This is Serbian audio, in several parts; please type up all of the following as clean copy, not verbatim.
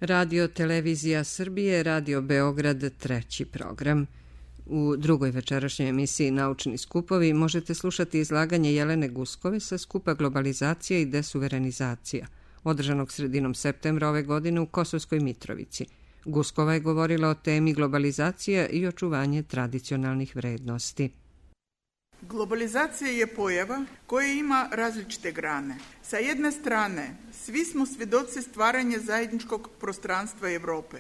Radio Televizija Srbije, Radio Beograd, treći program. U drugoj večerašnjoj emisiji Naučni skupovi možete slušati izlaganje Jelene Guskove sa skupa Globalizacija i desuverenizacija, održanog sredinom septembra ove godine u Kosovskoj Mitrovici. Guskova je govorila o temi globalizacija i očuvanje tradicionalnih vrednosti. Globalizacija je pojava koja ima različite grane. Sa jedne strane, svi smo svjedoci stvaranja zajedničkog prostranstva Europe.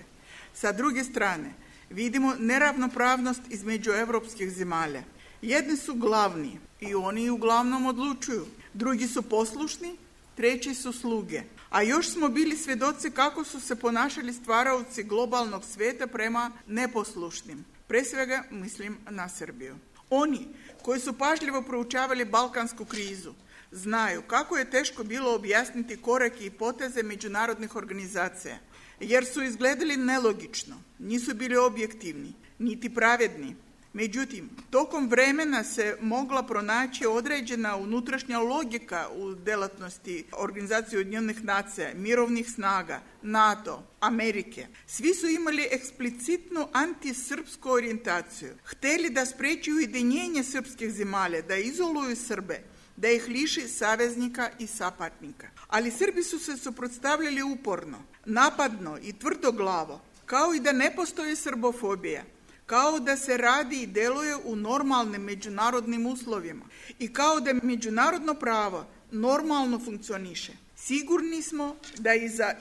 Sa druge strane, vidimo neravnopravnost između europskih zemalja. Jedni su glavni i oni uglavnom odlučuju. Drugi su poslušni, treći su sluge. A još smo bili svjedoci kako su se ponašali stvaraoci globalnog svijeta prema neposlušnim. Pre svega mislim na Srbiju. Oni koji su pažljivo proučavali balkansku krizu znaju kako je teško bilo objasniti korake i poteze međunarodnih organizacija, jer su izgledali nelogično, nisu bili objektivni, niti pravedni. Međutim, tokom vremena se mogla pronaći određena unutrašnja logika u delatnosti Organizacije Ujedinjenih nacija, mirovnih snaga, NATO, Amerike. Svi su imali eksplicitnu antisrpsku orijentaciju. Hteli da spreči ujedinjenje srpskih zemalja, da izoluju Srbe, da ih liši saveznika i sapatnika. Ali Srbi su se suprotstavljali uporno, napadno i tvrdoglavo, kao i da ne postoji srbofobija, kao da se radi i deluje u normalnim međunarodnim uslovima i kao da međunarodno pravo normalno funkcioniše. Sigurni smo da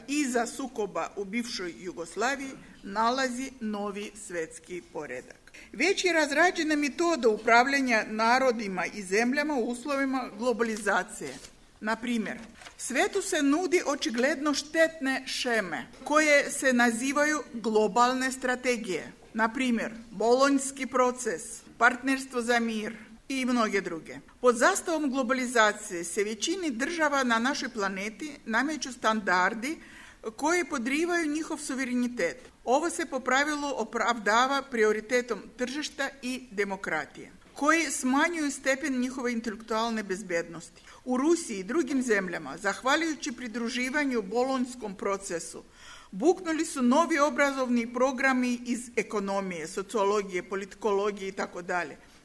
iza sukoba u bivšoj Jugoslaviji nalazi novi svetski poredak. Već je razrađena metoda upravljanja narodima i zemljama u uslovima globalizacije. Na primjer, svetu se nudi očigledno štetne šeme koje se nazivaju globalne strategije. Na primjer, Bolonjski proces, partnerstvo za mir i mnoge druge. Pod zastavom globalizacije se većini država na našoj planeti nameću standardi koji podrivaju njihov suverenitet. Ovo se po pravilu opravdava prioritetom tržišta i demokratije, koji smanjuju stepen njihove intelektualne bezbednosti. U Rusiji i drugim zemljama, zahvaljujući pridruživanju Bolonjskom procesu, buknuli su novi obrazovni programi iz ekonomije, sociologije, politikologije itd.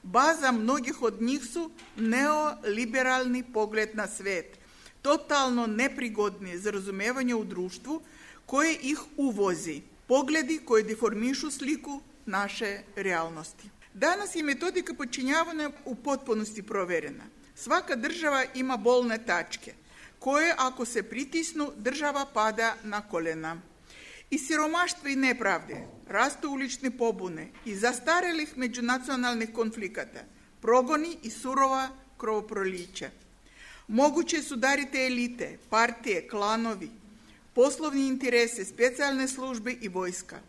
Baza mnogih od njih su neoliberalni pogled na svet, totalno neprigodni za razumevanje u društvu koje ih uvozi, pogledi koji deformišu sliku naše realnosti. Danas je metodika podčinjavanja u potpunosti proverena. Svaka država ima bolne tačke, koje ako se pritisnu, država pada na kolena. Iz siromaštva i nepravde rastu ulične pobune i zastarelih međunacionalnih konflikata, progoni i surova krvoprolića. Moguće su dariti elite, partije, klanovi, poslovni interese, specijalne službe i vojska.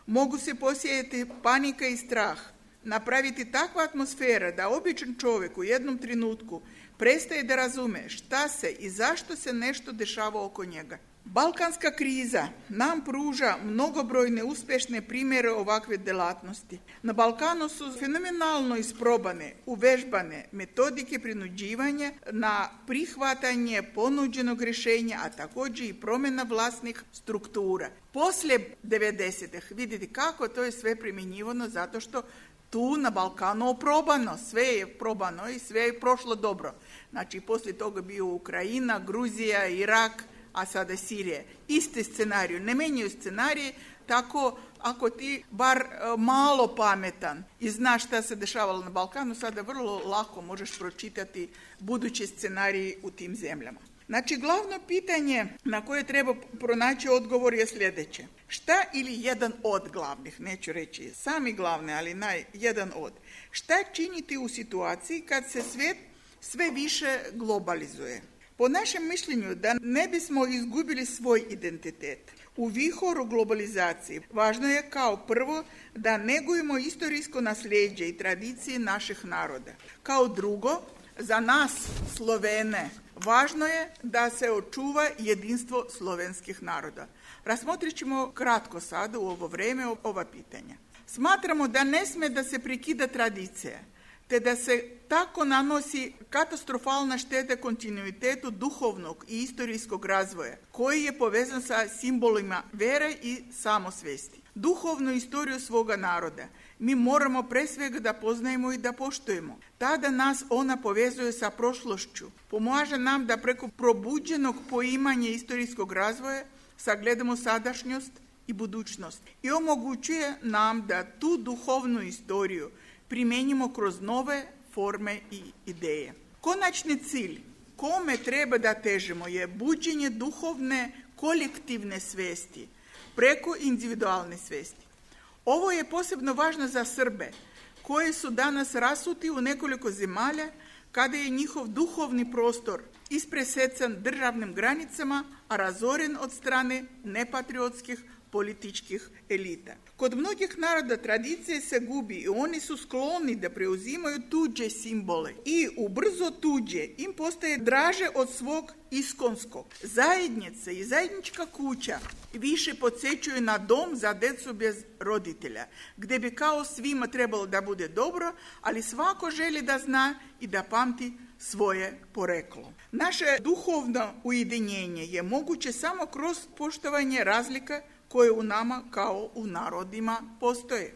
Mogu se posijeti panika i strah, napraviti takva atmosfera da običan čovjek u jednom trenutku prestaje da razume šta se i zašto se nešto dešava oko njega. Balkanska kriza nam pruža mnogobrojne uspješne primjere ovakve delatnosti. Na Balkanu su fenomenalno isprobane, uvežbane metodike prinuđivanja na prihvatanje ponuđenog rješenja, a također i promjena vlasnih struktura. Poslije 90-ih vidite kako to je sve primjenjivano zato što tu na Balkanu oprobano, sve je probano i sve je prošlo dobro. Znači, poslije toga bio Ukrajina, Gruzija, Irak, a sada Sirije. Isti scenarij, ne menjaju scenarije, tako ako ti bar malo pametan i znaš šta se dešavalo na Balkanu, sada vrlo lako možeš pročitati budući scenarij u tim zemljama. Znači, glavno pitanje na koje treba pronaći odgovor je sljedeće. Šta ili jedan od glavnih, neću reći sami glavne, ali jedan od. Šta činiti u situaciji kad se svijet sve više globalizuje? Po našem mišljenju, da ne bismo izgubili svoj identitet u vihoru globalizacije, važno je kao prvo da negujemo istorijsko nasljeđe i tradicije naših naroda. Kao drugo, za nas Slovene, važno je da se očuva jedinstvo slovenskih naroda. Razmotrit ćemo kratko sada u ovo vrijeme ova pitanja. Smatramo da ne sme da se prekida tradicija, te da se tako nanosi katastrofalna šteta kontinuitetu duhovnog i istorijskog razvoja, koji je povezan sa simbolima vere i samosvesti. Duhovnu istoriju svoga naroda mi moramo pre svega da poznajemo i da poštujemo. Tada nas ona povezuje sa prošlošću, pomaže nam da preko probuđenog poimanja istorijskog razvoja sagledamo sadašnjost i budućnost i omogućuje nam da tu duhovnu istoriju primenjimo kroz nove forme i ideje. Konačni cilj kome treba da težimo je buđenje duhovne kolektivne svesti preko individualne svesti. Ovo je posebno važno za Srbe, koji su danas rasuti u nekoliko zemalja kada je njihov duhovni prostor ispresecan državnim granicama, a razoren od strane nepatriotskih političkih elita. Kod mnogih naroda tradicije se gubi i oni su skloni da preuzimaju tuđe simbole i ubrzo tuđe im postaje draže od svog iskonskog. Zajednica i zajednička kuća više podsjećaju na dom za decu bez roditelja, gde bi kao svima trebalo da bude dobro, ali svako želi da zna i da pamti svoje poreklo. Naše duhovno ujedinjenje je moguće samo kroz poštovanje razlika koje u nama kao u narodima postoje.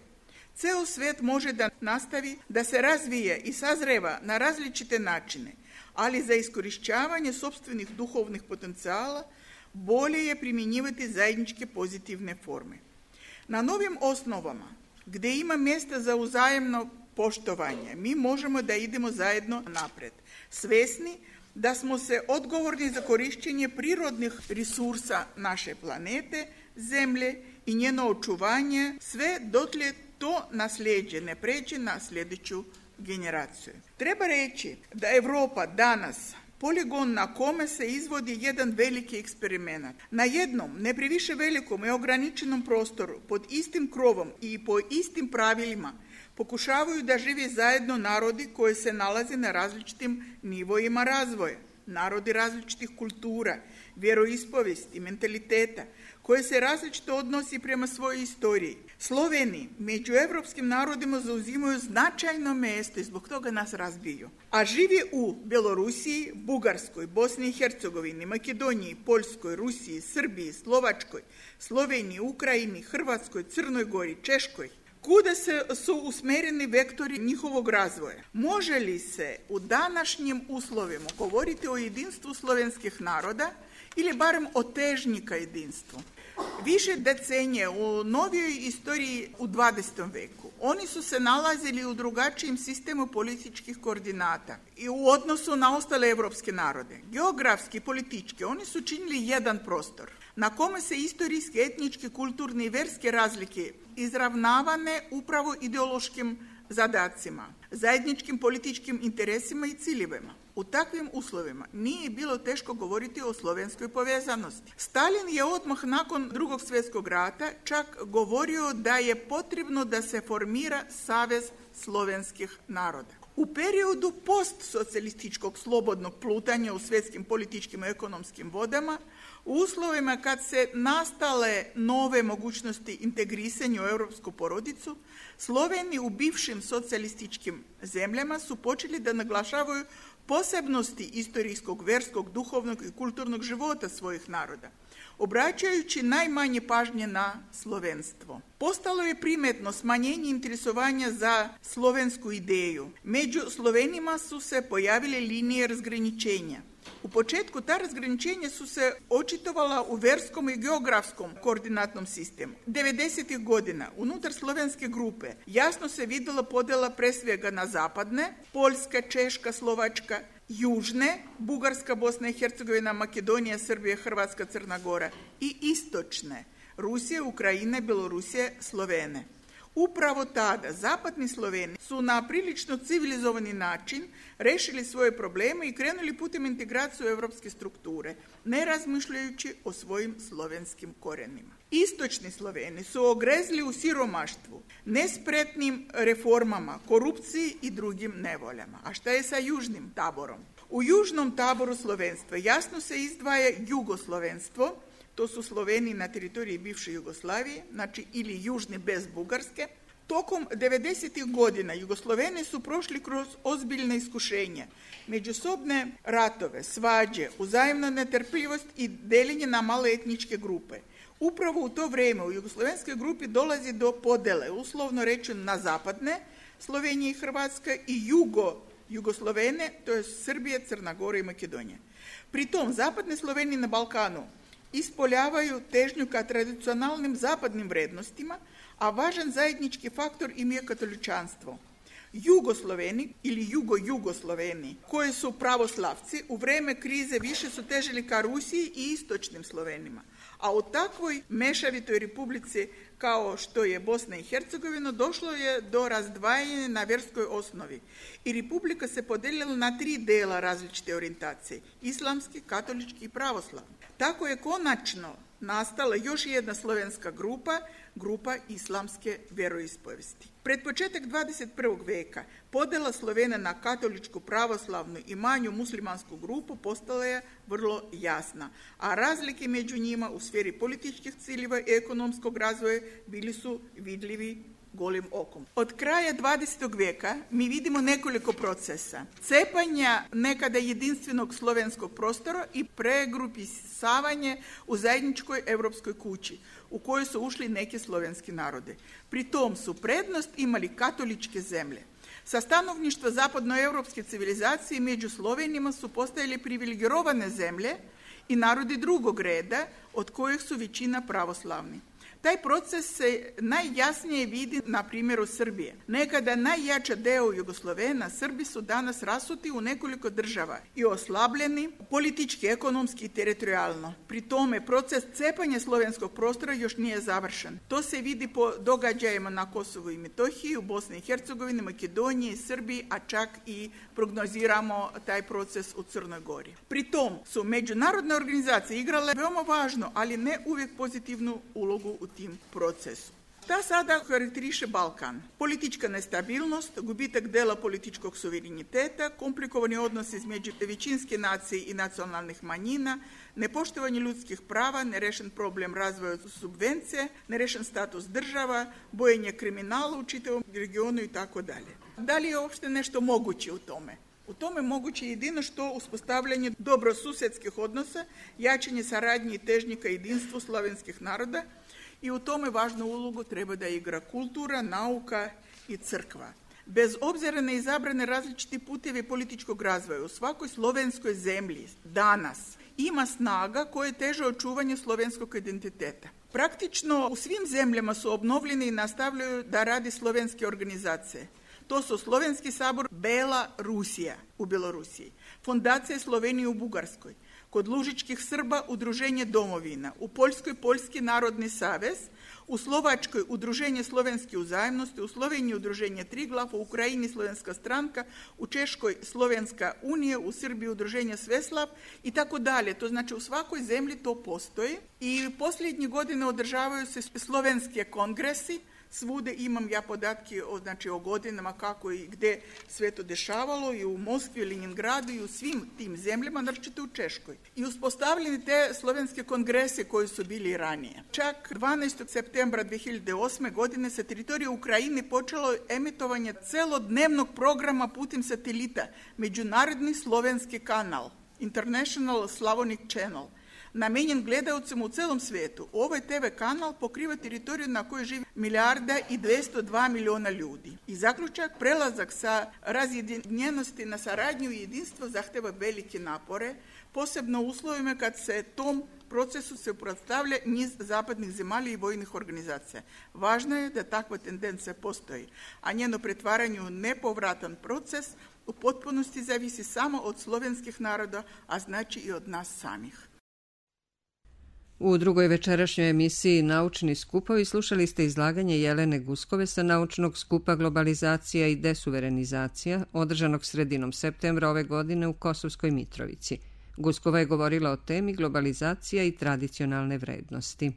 Ceo svet može da nastavi da se razvije i sazreva na različite načine, ali za iskorišćavanje sopstvenih duhovnih potencijala bolje je primjenjivati zajedničke pozitivne forme. Na novim osnovama, gde ima mjesta za uzajemno poštovanje, mi možemo da idemo zajedno napred, svesni da smo se odgovorni za korišćenje prirodnih resursa naše planete, zemlje i njeno očuvanje, sve dotle to nasljeđe ne pređe na sljedeću generaciju. Treba reći da Evropa danas poligon na kome se izvodi jedan veliki eksperiment. Na jednom, ne previše velikom i ograničenom prostoru, pod istim krovom i po istim pravilima, pokušavaju da žive zajedno narodi koji se nalaze na različitim nivoima razvoja, narodi različitih kultura, vjeroispovesti, mentaliteta, koje se različito odnosi prema svojoj istoriji. Sloveni među evropskim narodima zauzimaju značajno mjesto i zbog toga nas razbiju. A živi u Belorusiji, Bugarskoj, Bosni i Hercegovini, Makedoniji, Poljskoj, Rusiji, Srbiji, Slovačkoj, Sloveniji, Ukrajini, Hrvatskoj, Crnoj Gori, Češkoj. Kuda su usmereni vektori njihovog razvoja? Može li se u današnjim uslovima govoriti o jedinstvu slovenskih naroda ili barem o težnji ka jedinstvu? Više decenije u novijoj istoriji u 20. veku oni su se nalazili u drugačijem sistemu političkih koordinata i u odnosu na ostale evropske narode. Geografski i politički oni su činili jedan prostor na kome se istorijske, etničke, kulturne i verske razlike izravnavane upravo ideološkim zadacima, zajedničkim političkim interesima i ciljevima. U takvim uslovima nije bilo teško govoriti o slovenskoj povezanosti. Stalin je odmah nakon Drugog svjetskog rata čak govorio da je potrebno da se formira Savez slovenskih naroda. U periodu postsocijalističkog slobodnog plutanja u svjetskim političkim i ekonomskim vodama, u uslovima kad se nastale nove mogućnosti integrisanja u europsku porodicu, Sloveni u bivšim socijalističkim zemljama su počeli da naglašavaju posebnosti istorijskog, verskog, duhovnog i kulturnog života svojih naroda, obraćajući najmanje pažnje na slovenstvo. Postalo je primetno smanjenje interesovanja za slovensku ideju. Među Slovenima su se pojavile linije razgraničenja. U početku ta razgraničenja su se očitovala u verskom i geografskom koordinatnom sistemu. 90. godina unutar slovenske grupe jasno se videla podela pre svega na zapadne, Poljska, Češka, Slovačka, južne, Bugarska, Bosna i Hercegovina, Makedonija, Srbija, Hrvatska, Crna Gora i istočne, Rusija, Ukrajina, Belorusija, Slovene. Upravo tada zapadni Sloveni su na prilično civilizovani način rešili svoje probleme i krenuli putem integracije u evropske strukture, ne razmišljajući o svojim slovenskim korenima. Istočni Sloveni su ogrezli u siromaštvu, nespretnim reformama, korupciji i drugim nevoljama. A šta je sa južnim taborom? U južnom taboru slovenstva jasno se izdvaja jugoslovenstvo, to su Sloveni na teritoriji bivše Jugoslavije, znači ili južni bez Bugarske, Tokom 90. godina Jugosloveni su prošli kroz ozbiljne iskušenja, međusobne ratove, svađe, uzajamnu netrpljivost i deljenje na male etničke grupe. Upravo u to vrijeme u jugoslovenskoj grupi dolazi do podele, uslovno rečeno na zapadne, Slovenija i Hrvatska, i Jugoslovene, to je Srbije, Crna Gora i Makedonija. Pritom zapadne Slovenije na Balkanu ispoljavaju težnju ka tradicionalnim zapadnim vrednostima, a važan zajednički faktor im je katoličanstvo. Jugosloveni ili Jugosloveni, koji su pravoslavci, u vrijeme krize više su težili ka Rusiji i istočnim Slovenima. A u takvoj mešavitoj republici kao što je Bosna i Hercegovina došlo je do razdvajanja na vjerskoj osnovi i republika se podijelila na 3 dela različite orijentacije, islamski, katolički i pravoslavni. Tako je konačno nastala još jedna slovenska grupa islamske vjeroispovesti. Pred početak 21. veka podjela Slovena na katoličku, pravoslavnu i manju muslimansku grupu postala je vrlo jasna, a razlike među njima u sferi političkih ciljeva i ekonomskog razvoja bili su vidljivi golim okom. Od kraja 20. vijeka mi vidimo nekoliko procesa. Cepanja nekada jedinstvenog slovenskog prostora i pregrupisavanje u zajedničkoj europskoj kući, u kojoj su ušli neki slovenski narode. Pri tom su prednost imali katoličke zemlje. Sa stanovništva zapadnoevropske civilizacije među Slovenima su postajali privilegirane zemlje i narodi drugog reda, od kojih su većina pravoslavni. Taj proces se najjasnije vidi na primjeru Srbije. Nekada najjača deo Jugoslovena, Srbi su danas rasuti u nekoliko država i oslabljeni politički, ekonomski i teritorijalno. Pri tome proces cepanja slovenskog prostora još nije završen. To se vidi po događajima na Kosovu i Metohiji, u Bosni i Hercegovini, Makedoniji, Srbiji, a čak i prognoziramo taj proces u Crnoj Gori. Pri tom su međunarodne organizacije igrale veoma važnu, ali ne uvijek pozitivnu ulogu u tim procesu. Ta sada karakteriše Balkan. Politička nestabilnost, gubitak dela političkog suvereniteta, komplikovani odnosi između većinske nacije i nacionalnih manjina, nepoštovanje ljudskih prava, nerešen problem razvoja subvencije, nerešen status država, bojenje kriminala u čitavom regionu i tako dalje. Da li je uopšte nešto moguće u tome? U tome moguće jedino što uspostavljanje dobrosusedskih odnosa, jačanje saradnje i težnje ka jedinstvu slovenskih naroda, i u tome važnu ulogu treba da igra kultura, nauka i crkva. Bez obzira na izabrane različiti putevi političkog razvoja, u svakoj slovenskoj zemlji danas ima snaga koja teže očuvanje slovenskog identiteta. Praktično u svim zemljama su obnovljene i nastavljaju da radi slovenske organizacije. To su Slovenski sabor Bela Rusija u Belorusiji, Fondacija Slovenije u Bugarskoj, kod Lužičkih Srba Udruženje Domovina, u Poljskoj Poljski narodni savez, u Slovačkoj Udruženje Slovenske uzajemnosti, u Sloveniji Udruženje Triglav, u Ukrajini Slovenska stranka, u Češkoj Slovenska unija, u Srbiji Udruženje Sveslav i tako dalje. To znači u svakoj zemlji to postoji i posljednje godine održavaju se slovenske kongresi. Svude imam ja podatke o godinama kako i gde sve to dešavalo, i u Moskvi, Leningradu i u svim tim zemljama, naročito u Češkoj. I uspostavljeni te slovenske kongrese koji su bili ranije. Čak 12. septembra 2008. godine sa teritorije Ukrajine počelo emitovanje celodnevnog programa putem satelita, Međunarodni slovenski kanal, International Slavonic Channel, namenjen gledalcima u celom svijetu. Ovaj TV kanal pokriva teritoriju na kojoj živi 1,202 miliona ljudi. I zaključak, prelazak sa razjedinjenosti na saradnju i jedinstvo zahteva velike napore, posebno u uslovima kad se tom procesu se uprostavlja niz zapadnih zemalja i vojnih organizacija. Važno je da takva tendencija postoji, a njeno pretvaranje u nepovratan proces u potpunosti zavisi samo od slovenskih naroda, a znači i od nas samih. U drugoj večerašnjoj emisiji Naučni skupovi slušali ste izlaganje Jelene Guskove sa naučnog skupa Globalizacija i desuverenizacija, održanog sredinom septembra ove godine u Kosovskoj Mitrovici. Guskova je govorila o temi globalizacija i tradicionalne vrednosti.